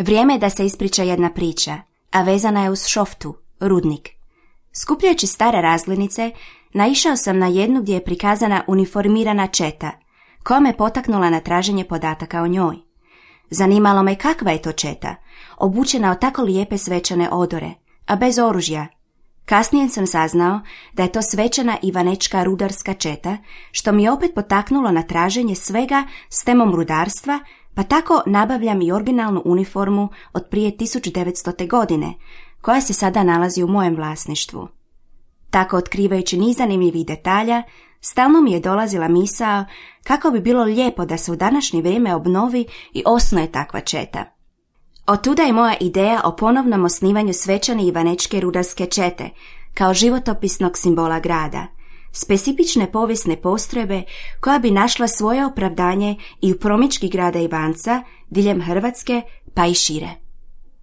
Vrijeme je da se ispriča jedna priča, a vezana je uz šoftu, rudnik. Skupljajući stare razglednice, naišao sam na jednu gdje je prikazana uniformirana četa, koja me potaknula na traženje podataka o njoj. Zanimalo me kakva je to četa, obučena od tako lijepe svečane odore, a bez oružja. Kasnije sam saznao da je to svečana ivanečka rudarska četa, što mi je opet potaknulo na traženje svega s temom rudarstva, pa tako nabavljam i originalnu uniformu od prije 1900. godine, koja se sada nalazi u mojem vlasništvu. Tako otkrivajući niz zanimljivih detalja, stalno mi je dolazila misao kako bi bilo lijepo da se u današnje vrijeme obnovi i osnuje takva četa. Otuda je moja ideja o ponovnom osnivanju svečane ivanečke rudarske čete, kao životopisnog simbola grada, specifične povijesne postrojbe koja bi našla svoje opravdanje i u promidžbi grada Ivanca, diljem Hrvatske pa i šire.